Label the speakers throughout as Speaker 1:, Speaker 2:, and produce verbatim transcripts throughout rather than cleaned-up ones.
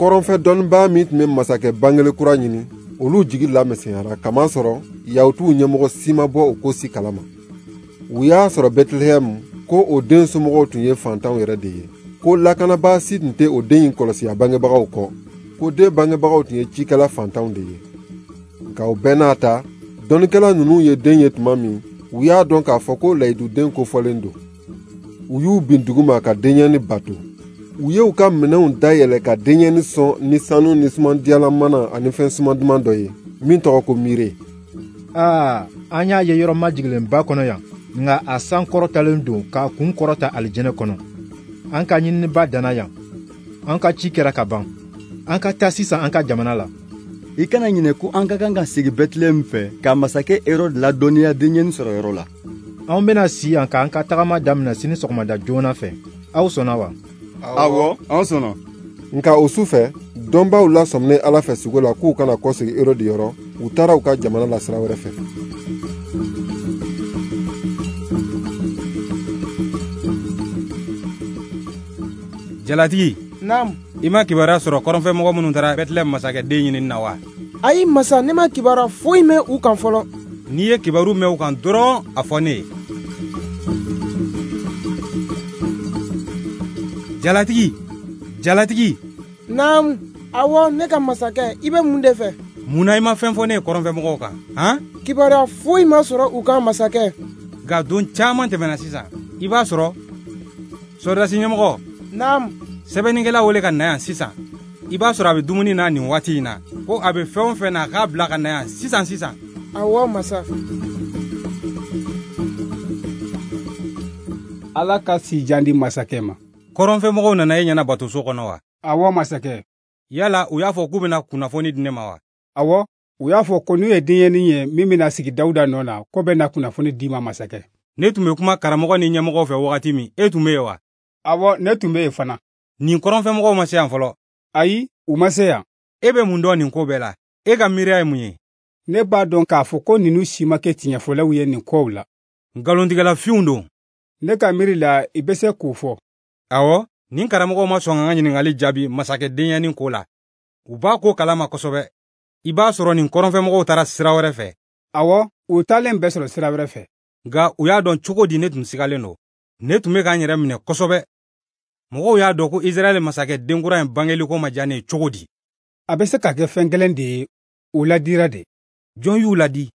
Speaker 1: Kɔrɔnfɛ dɔnnibaa min tun bɛ masakɛ bangeli kura ɲini, olu jigi lamisɛnyara kamasɔrɔ Yahutuw ɲɛmɔgɔ si ma bɔ o ko si kalama. U y'a sɔrɔ Bɛtilɛhɛmu ko o den somɔgɔw tun ye fantanw yɛrɛ de ye, ko lakanabaa si tun tɛ o den in kɔlɔsi a bangebagaw kɔ, ko den bangebagaw tun ye cikɛla fantanw de ye. Nka o bɛɛ n'a ta, dɔnnikɛla ninnu ye den ye tuma min, u y'a dɔn k'a fɔ ko layiduden kofɔlen don. U y'u bin duguma ka denyɛni bato. U ye u ka minɛnw dayɛlɛ ka denyɛni sɔn ni sanu ni sumandiyalan mana ani fɛn suman duman dɔ ye, min tɔgɔ ko miire.
Speaker 2: Aa, an y'a ye yɔrɔ majiginlenba kɔnɔ yan, nka a san kɔrɔtalen don k'a kun kɔrɔta alijinɛ kɔnɔ. An ka ɲininiba danna yan. An ka ci kɛra ka ban. An ka taa sisan an ka jamana la.
Speaker 3: I kana ɲinɛ ko an ka kan ka segin Bɛtilɛhɛmu fɛ ka masakɛ Herode ladɔnniya denyɛni sɔrɔ yɔrɔ la.
Speaker 2: Anw bɛna si yan k'an ka tagama daminɛ sini sɔgɔmada joona fɛ. Aw sɔnna wa?
Speaker 3: Awɔ, an sɔnna.
Speaker 1: Nka o su fɛ, dɔnbaaw lasɔminen Ala fɛ sugo la k'u kana kɔsegin Herode yɔrɔ, u taara u ka jamana la sira wɛrɛ fɛ.
Speaker 4: Jalatigi.
Speaker 5: Naamu.
Speaker 4: I ma kibaruya sɔrɔ kɔrɔnfɛmɔgɔ minnu taara Bɛtilɛhɛmu masakɛ den ɲinini na wa?
Speaker 5: Ayi masa, ne ma kibaruya foyi mɛn u kan fɔlɔ.
Speaker 4: N'i ye kibaru mɛn u kan dɔrɔn, a fɔ ne ye. Jalatigi, jalatigi.
Speaker 5: Naamu, awɔ ne ka masakɛ, i bɛ mun de fɛ?
Speaker 4: Mun na i ma fɛn fɔ ne ye kɔrɔnfɛmɔgɔw kan, han?
Speaker 5: Kibaruya foyi ma sɔrɔ u kan masakɛ.
Speaker 4: Nka don caman tɛmɛna sisan, i b'a sɔrɔ sɔrɔdasi ɲɛmɔgɔ.
Speaker 5: Naamu.
Speaker 4: Sɛbɛnnikɛla wele ka na yan sisan. I b'a sɔrɔ a bɛ dumuni na nin waati in na, ko a bɛ fɛn o fɛn na a k'a bila ka na yan sisan sisan.
Speaker 5: Awɔ masa.
Speaker 6: Ala ka sijan di masakɛ ma.
Speaker 4: Kɔrɔnfɛmɔgɔw nana e ɲɛna batoso kɔnɔ wa?
Speaker 6: Awɔ masakɛ.
Speaker 4: Yala u y'a fɔ k'u bɛna kunnafoni di ne ma wa?
Speaker 6: Awɔ, u y'a fɔ ko n'u ye denyɛnin ye min bɛna sigi Dawuda nɔ na, ko bɛ na kunnafoni d'i ma masakɛ.
Speaker 4: Ne tun bɛ kuma karamɔgɔ ni ɲɛmɔgɔw fɛ wagati min, e tun bɛ yen wa?
Speaker 6: Awɔ, ne tun bɛ yen fana.
Speaker 4: Nin kɔrɔnfɛmɔgɔw ma se yan fɔlɔ.
Speaker 6: Ayi, u ma se yan.
Speaker 4: E bɛ mun dɔn nin ko bɛɛ la? E ka miiriya ye mun ye?
Speaker 6: Ne b'a dɔn k'a fɔ ko ninnu si ma kɛ tiɲɛfɔlaw ye nin kow la.
Speaker 4: Nkalontigɛla finw don.
Speaker 6: Ne ka miiri la, i bɛ se k'o fɔ.
Speaker 4: Awɔ, nin karamɔgɔw ma sɔn ka n ka ɲininkali jaabi masakɛ denyɛnin ko la. U b'a ko kalama kosɛbɛ. I b'a sɔrɔ nin kɔrɔnfɛmɔgɔw taara sira wɛrɛ fɛ.
Speaker 6: Awɔ, u taalen bɛ sɔrɔ sira wɛrɛ fɛ.
Speaker 4: Nka u y'a dɔn cogo di ne tun sigalen don. Ne tun bɛ k'an yɛrɛ minɛ kosɛbɛ. Mɔgɔw y'a dɔn ko Israɛl masakɛ denkura in bangeli ko ma diya ne ye cogo di?
Speaker 6: A bɛ se ka kɛ fɛn kelen de ye, u ladira de.
Speaker 4: Jɔn y'u ladi?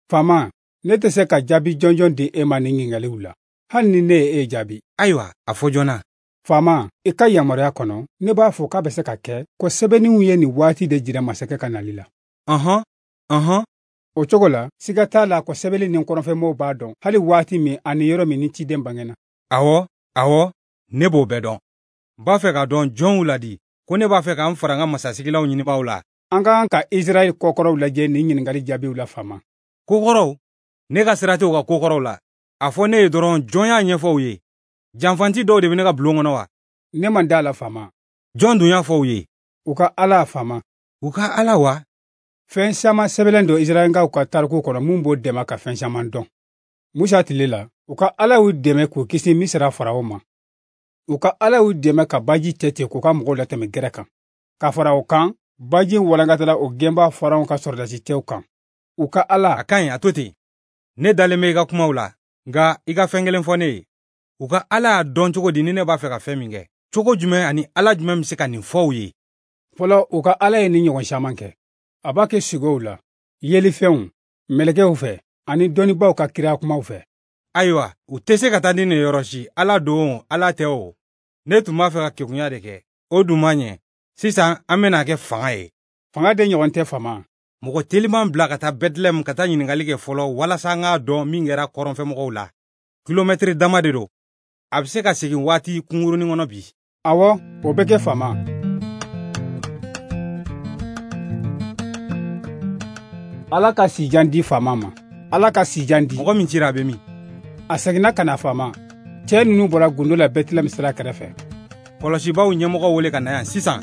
Speaker 6: Faama, ne tɛ se ka jaabi jɔnjɔn di e ma nin ɲininkaliw la, hali ni ne ye e jaabi.
Speaker 4: Ayiwa, a fɔ joona.
Speaker 6: Faama, i ka yamaruya kɔnɔ, ne b'a fɔ k'a bɛ se ka kɛ ko sɛbɛnniw ye nin waati de jira masakɛ ka nali la.
Speaker 4: Ɔhɔn, ɔhɔn.
Speaker 6: O cogo la, siga t'a la ko sɛbɛnni ni kɔrɔnfɛmɔgɔw b'a dɔn hali waati min ani yɔrɔ min ni ciden bangena.
Speaker 4: Awɔ, awɔ, ne b'o bɛɛ dɔn. N b'a fɛ k'a dɔn jɔn y'u ladi, ko ne b'a fɛ k'an fara n ka masasigilaw ɲinibaaw la.
Speaker 6: An ka kan ka Israɛl kokɔrɔw lajɛ nin ɲininkali jaabiw la faama.
Speaker 4: Kokɔrɔw? Ne ka sira tɛ u ka kokɔrɔw la. A fɔ ne ye dɔrɔn jɔn y'a ɲɛfɔ u ye. Janfanti dɔw de bɛ ne ka bulon kɔnɔ wa?
Speaker 6: Ne man d'a la faama.
Speaker 4: Jɔn dun y'a fɔ u ye?
Speaker 6: U ka Ala faama.
Speaker 4: U ka Ala wa?
Speaker 6: Fɛn caman sɛbɛnlen don Israɛlkaw ka tariku kɔnɔ mun b'o dɛmɛ ka fɛn caman dɔn. Musa tile la, u ka Ala y'u dɛmɛ k'u kisi Misira faraw ma. U ka Ala y'u dɛmɛ ka baji cɛ tigɛ k'u ka mɔgɔw latɛmɛ gɛrɛ kan. Ka fara o kan, baji walankatala o gɛnba faraw ka sɔrɔdasi cɛw kan. U ka Ala.
Speaker 4: A ka ɲi, a to ten. Ne dalen bɛ i ka kumaw la, nka i ka fɛn kelen fɔ ne ye. U ka Ala y'a dɔn cogo di ni ne b'a fɛ ka fɛn min kɛ? Cogo jumɛn ani Ala jumɛn bɛ se ka nin fɔ u ye?
Speaker 6: Fɔlɔ, u ka Ala ye nin ɲɔgɔn caman kɛ. A b'a kɛ sugow la, yelifɛnw, mɛlɛkɛw fɛ, ani dɔnnibaaw ka kira kumaw fɛ.
Speaker 4: Ayiwa, u tɛ se ka taa ni nin yɔrɔ si. Ala don, Ala tɛ o. Ne tun b'a fɛ ka kegunya de kɛ. O dun ma ɲɛ. Sisan, an bɛna kɛ fanga ye.
Speaker 6: Fanga de ɲɔgɔn tɛ faama.
Speaker 4: Mɔgɔ teliman bila ka taa Bɛtilɛhɛmu ka taa ɲininkali kɛ fɔlɔ walasa an k'a dɔn min kɛra kɔrɔnfɛmɔgɔw la. Kilomɛtiri dama de don. A bɛ se ka segin waati kunkurunin kɔnɔ bi.
Speaker 6: Awɔ, o bɛ kɛ faama. Ala ka sijan di faama ma. Ala ka sijan di.
Speaker 4: Mɔgɔ min cira a bɛ min?
Speaker 6: A seginna ka na faama. Cɛ ninnu bɔra gundo la Bɛtilɛhɛmu sira kɛrɛfɛ.
Speaker 4: Kɔlɔsibaw ɲɛmɔgɔ wele ka na yan sisan.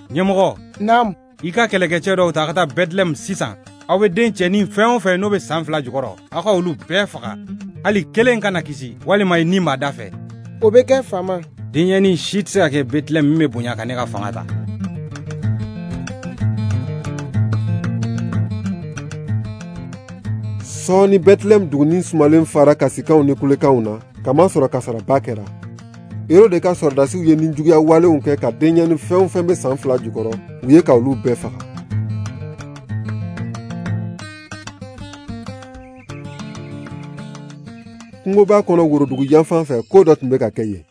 Speaker 4: Ɲɛmɔgɔ.
Speaker 5: Naamu.
Speaker 4: I ka kɛlɛkɛcɛ dɔw ta ka taa Bɛtilɛhɛmu sisan. Aw bɛ den cɛnin fɛn o fɛn n'o bɛ san fila jukɔrɔ, aw ka olu bɛɛ faga. Hali kelen kana kisi, walima i ni b'a da fɛ.
Speaker 5: O bɛ kɛ faama.
Speaker 4: Denyɛnin si tɛ se ka kɛ Bɛtilɛhɛm min bɛ bonya ka ne ka fanga ta.
Speaker 1: Sɔɔni Bɛtilɛhɛm dugunin sumalen fara kasikanw ni kulekanw na, kamasɔrɔ kasaraba kɛra. Erode ka sɔrɔdasiw ye nijuguya walenw kɛ ka denyɛnin fɛn o fɛn bɛ san fila jukɔrɔ, u ye ka olu bɛɛ faga. Kungoba kɔnɔ worodugu yanfan fɛ, ko dɔ tun bɛ ka kɛ yen.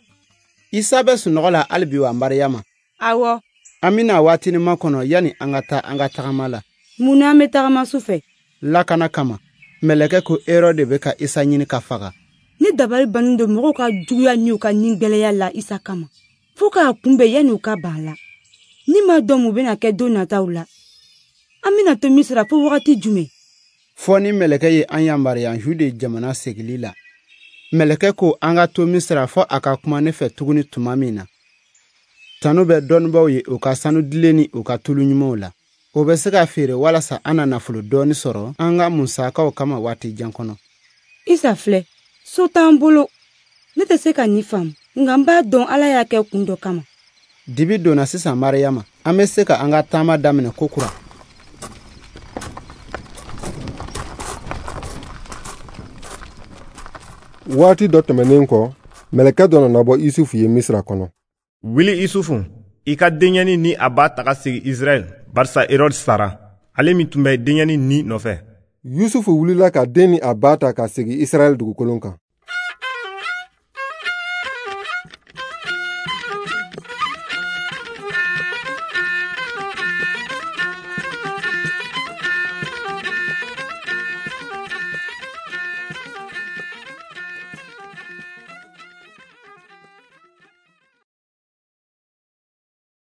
Speaker 7: Isa bɛ sunɔgɔ la hali bi wa, Mariyama?
Speaker 8: Awɔ.
Speaker 7: An bɛna waatinin makɔnɔ yanni an ka taa an ka tagama la.
Speaker 8: Mun na an bɛ tagama su fɛ?
Speaker 7: Lakana kama. Mɛlɛkɛ ko Erode bɛ ka Isa ɲini ka faga.
Speaker 8: Ne dabali bannen don mɔgɔw ka juguya ni u ka nigɛlɛya la Isa kama, fo k'a kunbɛn yanni u ka ban a la. Ne m'a dɔn mun bɛna kɛ don nataw la. An bɛna to Misira fo wagati jumɛn?
Speaker 7: Fɔ ni mɛlɛkɛ ye an yamaruya Jude jamana segili la. Mɛlɛkɛ ko an ka to Misira fɔ a ka kuma ne fɛ tuguni tuma min na. Tanu bɛ dɔnnibaaw ye u ka sanu dilen ni u ka tulu ɲumanw la. O bɛ se ka feere walasa an na nafolo dɔɔni sɔrɔ an ka musakaw kama waati jan kɔnɔ.
Speaker 8: Isa filɛ, so t'an bolo. Ne tɛ se ka nin faamu, nka n b'a dɔn Ala y'a kɛ kun dɔ kama.
Speaker 7: Dibi donna sisan Mariyama, an bɛ se ka an ka taama daminɛ kokura.
Speaker 1: Waati dɔ tɛmɛnen kɔ, mɛlɛkɛ dɔ nana bɔ Isufu ye Misira kɔnɔ.
Speaker 9: Wuli Isufu, i ka denyɛnin ni a ba taga sigi Israɛl, barisa Erode sara, ale min tun bɛ denyɛnin ni nɔfɛ.
Speaker 1: Yusufu wulila ka den ni a ba ta ka segin Israɛl dugukolo kan.